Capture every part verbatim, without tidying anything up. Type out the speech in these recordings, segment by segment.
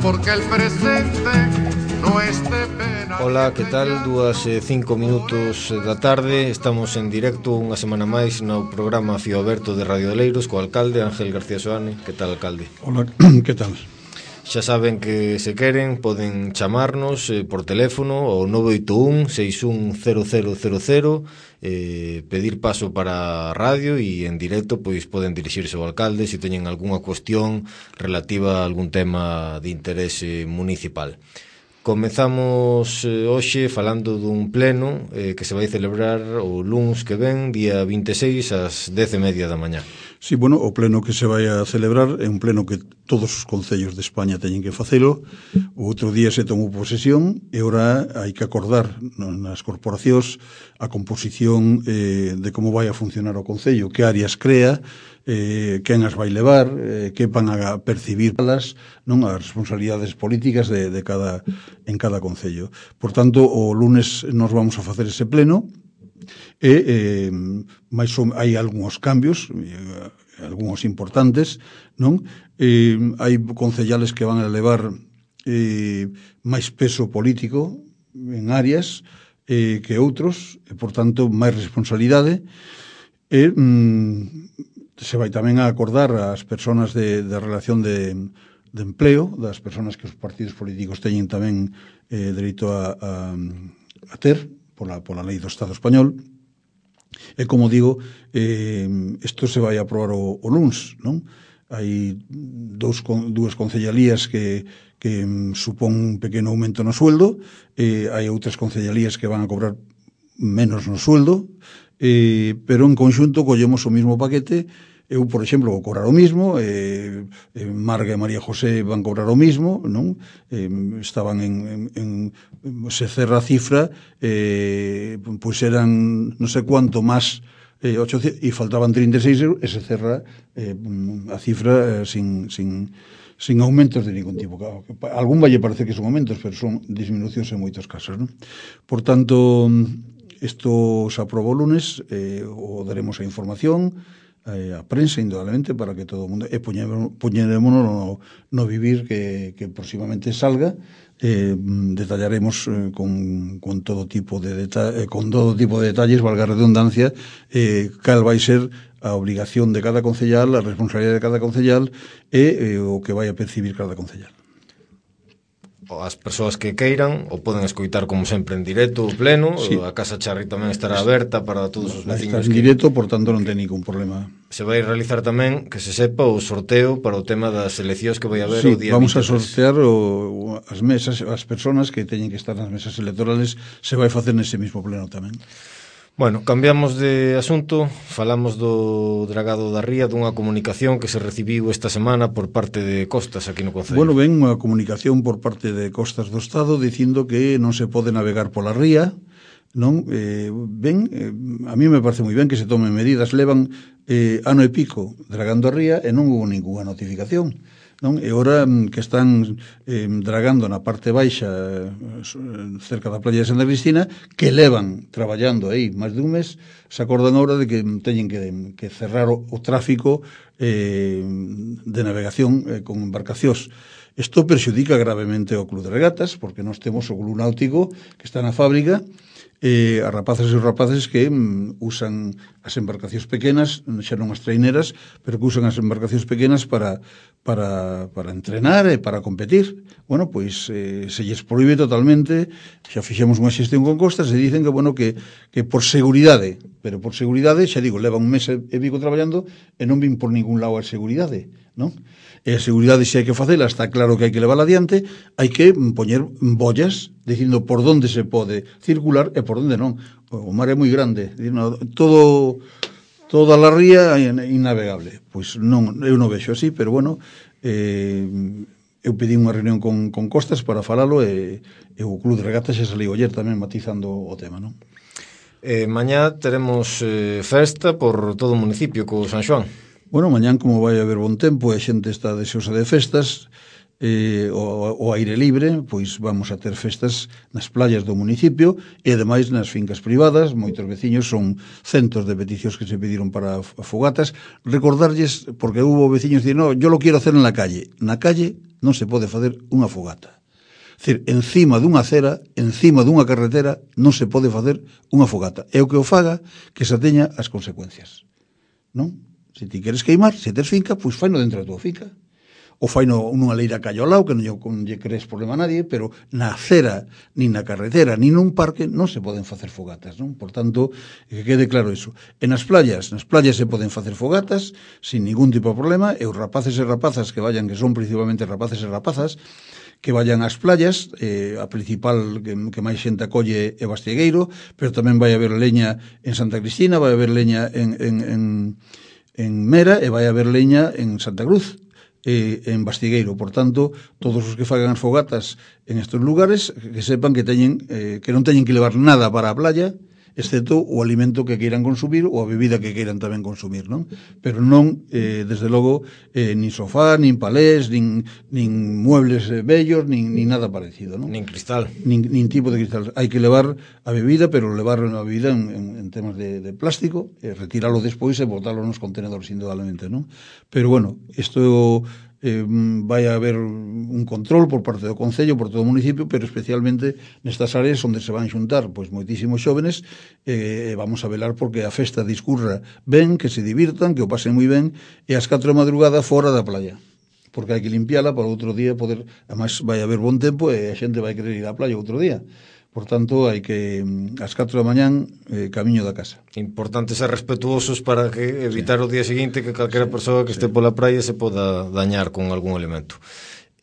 porque el presente no esté pena. Ola, que tal? Dúas e cinco minutos da tarde. Estamos en directo unha semana máis no programa Fío Aberto de Radio de Leiros co alcalde Ángel García Soane. Que tal, alcalde? Ola, que tal? Xa saben que se queren poden chamarnos eh, por teléfono ao nove oito un, seis un cero cero cero cero, eh, pedir paso para a radio e en directo pois poden dirixirse ao alcalde se teñen algunha cuestión relativa a algún tema de interese municipal. Comezamos eh, hoxe falando dun pleno eh, que se vai celebrar o luns que ven, día vinte e seis, ás dez e media da mañá. Sí, bueno, o pleno que se vai a celebrar é un pleno que todos os concellos de España teñen que facelo. O outro día se tomou posesión e ora hai que acordar nas corporacións a composición eh, de como vai a funcionar o concello, que áreas crea, eh, quen as vai levar, eh, que van a percibir las, non, as responsabilidades políticas de, de cada, en cada concello. Por tanto, o lunes nos vamos a facer ese pleno. E eh, máis ou, hai algúns cambios, eh, algúns importantes, non? Eh, hai concellales que van a levar eh, máis peso político en áreas eh, que outros, e, por tanto, máis responsabilidade. E mm, se vai tamén a acordar as persoas de, de relación de, de empleo, das persoas que os partidos políticos teñen tamén eh, dereito a, a, a ter pola, pola lei do Estado español. E como digo, eh, isto se vai a aprobar o, o luns, non? Hai dous, dúas concellalías que, que supón un pequeno aumento no sueldo, eh, hai outras concellalías que van a cobrar menos no sueldo, eh, pero en conxunto collemos o mismo paquete. Eu, por exemplo, vou cobrar o mismo, eh, eh, Marga e María José van cobrar o mismo, non? Eh, estaban en, en, en se cerra a cifra, eh, pois eran non sei cuánto máis eh, ochocentos, e faltaban trinta e seis euros, e se cerra eh, a cifra eh, sin, sin, sin aumentos de ningún tipo. Algún vai parecer que son aumentos, pero son disminucións en moitos casos, non? Por tanto, isto se aprobou o lunes, eh, o daremos a información a prensa, indudablemente, para que todo o mundo e poñerémonos no, no vivir que, que próximamente salga. Eh, detallaremos eh, con, con todo tipo de deta eh, con todo tipo de detalles, valga a redundancia, eh, cal vai ser a obligación de cada concellal, a responsabilidade de cada concellal e eh, o que vai a percibir cada concellal. As persoas que queiran o poden escoitar como sempre en directo o pleno, sí. A Casa Charri tamén estará aberta para todos os veciños. Está en directo, por tanto non ten ningún problema. Se vai realizar tamén, que se sepa, o sorteo para o tema das eleccións que vai haber sí, o día vamos vinte e tres. A sortear o, as mesas, as persoas que teñen que estar nas mesas electorales, se vai facer nese mismo pleno tamén. Bueno, cambiamos de asunto, falamos do dragado da Ría, dunha comunicación que se recibiu esta semana por parte de Costas aquí no Concello. Bueno, ven unha comunicación por parte de Costas do Estado dicindo que non se pode navegar pola ría, non? Eh, ben, eh, a mí me parece moi ben que se tomen medidas, levan eh, ano e pico dragando a ría e non houve ninguna notificación, non? E ora que están eh, dragando na parte baixa eh, cerca da playa de Santa Cristina, que levan traballando aí máis de un mes, se acordan agora de que teñen que, que cerrar o, o tráfico eh, de navegación eh, con embarcacións. Isto perxudica gravemente o Club de Regatas, porque nós temos o Club Náutico que está na fábrica, eh, as rapazas e os rapaces que mm, usan as embarcacións pequenas, xa non as traineras, pero que usan as embarcacións pequenas para, para, para entrenar e para competir. Bueno, pois eh, se lles proíbe totalmente, xa fixemos unha xestión con Costas e dicen que, bueno, que, que por seguridade, pero por seguridade, xa digo, levan un mes e pico traballando e non vin por ningún lado a seguridade, non? E a seguridade, se hai que facela, está claro que hai que levarla adiante, hai que poñer bollas dicindo por onde se pode circular e por onde non. O mar é moi grande, todo toda a ría é innavegable. Pois non, eu non vexo así, pero bueno, eh, eu pedí unha reunión con, con Costas para falalo e, e o Club de Regatas xa saliu ayer tamén matizando o tema, non? Eh, mañá teremos eh, festa por todo o municipio co San Xoán. Bueno, mañán como vai haber bon tempo e a xente está deseosa de festas, eh, o, o aire libre, pois vamos a ter festas nas playas do municipio e ademais nas fincas privadas. Moitos veciños, son centos de peticións que se pediron para fogatas. Recordarlles, porque hubo veciños que dicen, no, yo lo quiero hacer en la calle. Na calle non se pode facer unha fogata. É dicir, encima dunha acera, encima dunha carretera, non se pode facer unha fogata. E o que o faga, que se teña as consecuencias. Non? Se ti queres queimar, se tes finca, pois faino dentro da tua finca. O faino nunha leira callo ao lado, que non lle crees problema a nadie, pero na acera, nin na carretera, nin nun parque, non se poden facer fogatas, non? Por tanto, que quede claro iso. E nas playas, nas playas se poden facer fogatas, sin ningún tipo de problema, e os rapaces e rapazas que vayan, que son principalmente rapaces e rapazas, que vayan ás playas, eh, a principal que, que máis xente acolle é Bastiegueiro, pero tamén vai haber leña en Santa Cristina, vai haber leña en, en, en, en Mera, e vai haber leña en Santa Cruz, eh, en Bastiegueiro. Por tanto, todos os que fagan as fogatas en estes lugares, que sepan que teñen eh, que non teñen que levar nada para a playa, excepto o alimento que queiran consumir ou a bebida que queiran tamén consumir, non? Pero non, eh, desde logo, eh, nin sofá, nin palés, nin, nin muebles eh, bellos, nin, nin nada parecido, non? Nin cristal. Nin, nin tipo de cristal. Hai que levar a bebida, pero levar a bebida en, en, en temas de, de plástico, e retiralo despois e botarlo nos contenedores, indudablemente, non? Pero, bueno, isto... Eh, vai a haber un control por parte do Concello, por todo o municipio, pero especialmente nestas áreas onde se van xuntar pois moitísimos xóvenes, e eh, vamos a velar porque a festa discurra ben, que se divirtan, que o pasen moi ben, e ás catro da madrugada fora da playa, porque hai que limpiala para outro día poder, además vai haber bon tempo e a xente vai querer ir á playa outro día. Por tanto, hai que, ás catro da mañán, eh, camiño da casa. Importante ser respetuosos para que evitar sí. o día seguinte que calquera sí. persoa que sí. este pola praia se poda dañar con algún elemento.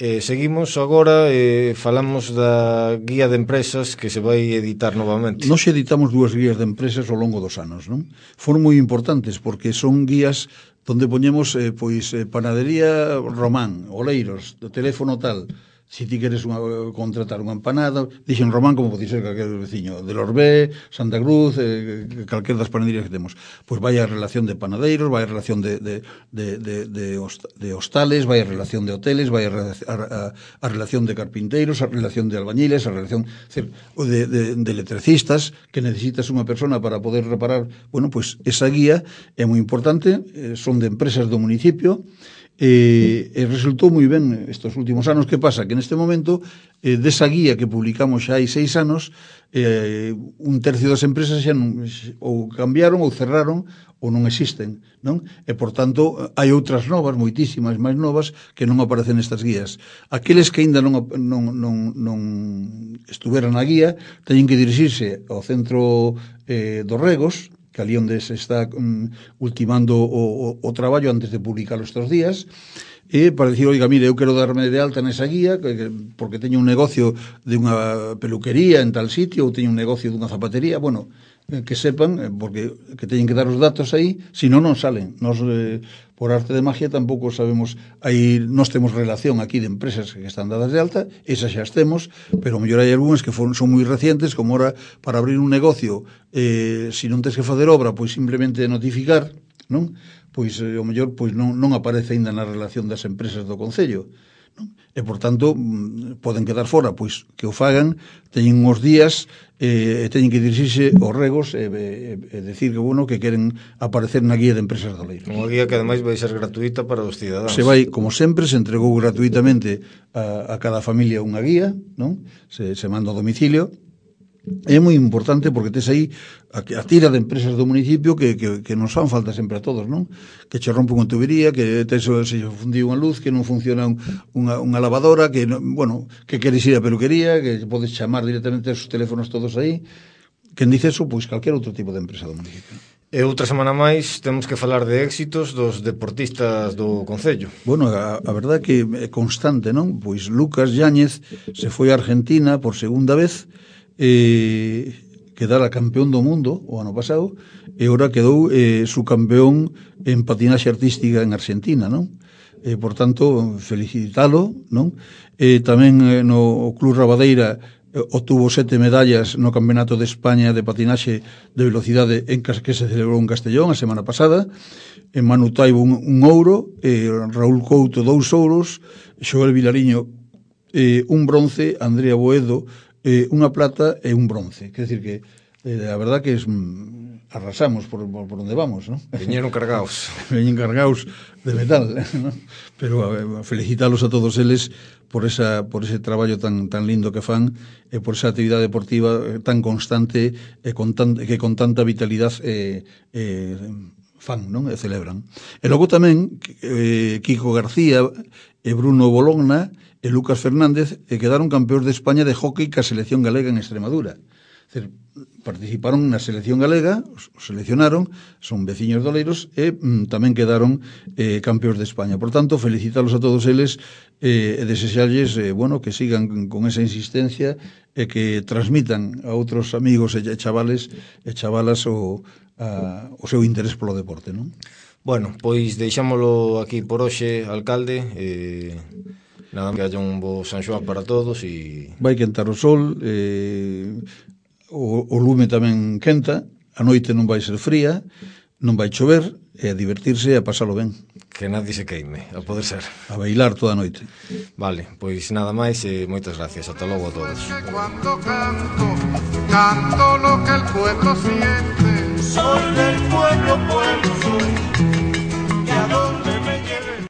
Eh, seguimos agora, eh, falamos da guía de empresas que se vai editar novamente. Nos editamos dúas guías de empresas ao longo dos anos, non? Foron moi importantes porque son guías donde poñemos eh, pois eh, panadería Román, Oleiros, do teléfono tal. Si ti queres unha, contratar unha empanada, dixen Román como pode ser calquer veciño, de Lorbé, Santa Cruz, eh, calquer das panaderías que temos. Pois vai a relación de panadeiros, vai a relación de, de, de, de, de, de hostales, vai a relación de hoteles, vai a, a, a relación de carpinteiros, a relación de albañiles, a relación de, de, de electricistas, que necesitas unha persona para poder reparar. Bueno, pois esa guía é moi importante, eh, son de empresas do municipio, E, e resultou moi ben estes últimos anos. Que pasa? Que neste momento eh, desa guía que publicamos xa hai seis anos, eh, un tercio das empresas xa non, ou cambiaron ou cerraron ou non existen, non? E por tanto hai outras novas, moitísimas máis novas, que non aparecen nestas guías. Aqueles que aínda non, non, non, non estuveran na guía teñen que dirixirse ao centro eh, dos Regos, que ali onde se está um, ultimando o, o, o traballo antes de publicarlo estes días, e para dicir, oiga, mire, eu quero darme de alta nesa guía que, que, porque teño un negocio de unha peluquería en tal sitio, ou teño un negocio dunha zapatería. Bueno, que sepan, porque que teñen que dar os datos aí, se non, non salen. Nos, eh, por arte de magia, tampouco sabemos, aí nós temos relación aquí de empresas que están dadas de alta, esas xa temos, pero mellor hai algúnas que son, son moi recientes, como ahora, para abrir un negocio, eh, se non tens que facer obra, pois simplemente notificar, non? Pois, eh, o mellor, pois non, non aparece ainda na relación das empresas do Concello, non? E, por tanto, poden quedar fora, pois que o fagan, teñen uns días e, e teñen que dirixirse aos Regos e, e, e decir que, bueno, que queren aparecer na guía de empresas de Oleiros. Unha guía que ademais vai ser gratuita para os cidadáns. Se vai, como sempre, se entregou gratuitamente a, a cada familia unha guía, non? Se, se manda ao domicilio. É moi importante porque tes aí a, a tira de empresas do municipio que, que, que nos fan falta sempre a todos, non? Que che rompe unha tubería, que tes, se fundiu unha luz, que non funciona un, unha, unha lavadora, que, bueno, que queres ir a peluquería, que podes chamar directamente os teléfonos todos aí. Quen dice eso? Pois calquer outro tipo de empresa do municipio. E outra semana máis temos que falar de éxitos dos deportistas do Concello. Bueno, a, a verdade que é constante, non? Pois Lucas Yáñez se foi a Argentina por segunda vez, eh, quedara campeón do mundo o ano pasado, e agora quedou eh, subcampeón en patinaxe artística en Argentina, non? E, por tanto, felicitalo, non? E tamén eh, no Club Rabadeira eh, obtuvo sete medallas no Campeonato de España de patinaxe de velocidade en que se celebrou en Castellón a semana pasada. en Manu Taibo un, un ouro, eh, Raúl Couto dous ouros, Xoel Vilariño eh, un bronce, Andrea Boedo eh, unha plata e un bronce. Quer decir que eh, a verdad que es, mm, arrasamos por, por, por onde vamos, ¿no? Viñeron cargaos. Viñeron cargaos de metal, ¿no? Pero a, a felicitalos a todos eles por esa por ese traballo tan tan lindo que fan e por esa actividade deportiva tan constante e con tan, que con tanta vitalidade eh, eh, fan, non? E celebran. E logo tamén eh, Kiko García e Bruno Bologna e Lucas Fernández e quedaron campeóns de España de hóquei ca selección galega en Extremadura. Dizer, participaron na selección galega, os seleccionaron, son veciños doleiros e mm, tamén quedaron eh, campeóns de España. Por tanto, felicitalos a todos eles eh, e desexarlles eh, bueno, que sigan con esa insistencia e que transmitan a outros amigos e chavales e chavalas o, a, o seu interés polo deporte, non? Bueno, pois deixámolo aquí por hoxe, alcalde. Eh, nada, que haya un bo San Xoán para todos e... Vai quentar o sol, eh, o, o lume tamén quenta, a noite non vai ser fría, non vai chover, e a divertirse e a pasalo ben. Que nadie se queime, a poder ser. A bailar toda a noite. Vale, pois nada máis e moitas gracias. Ata logo a todos. Cuando canto, canto lo que el pueblo siente. Soy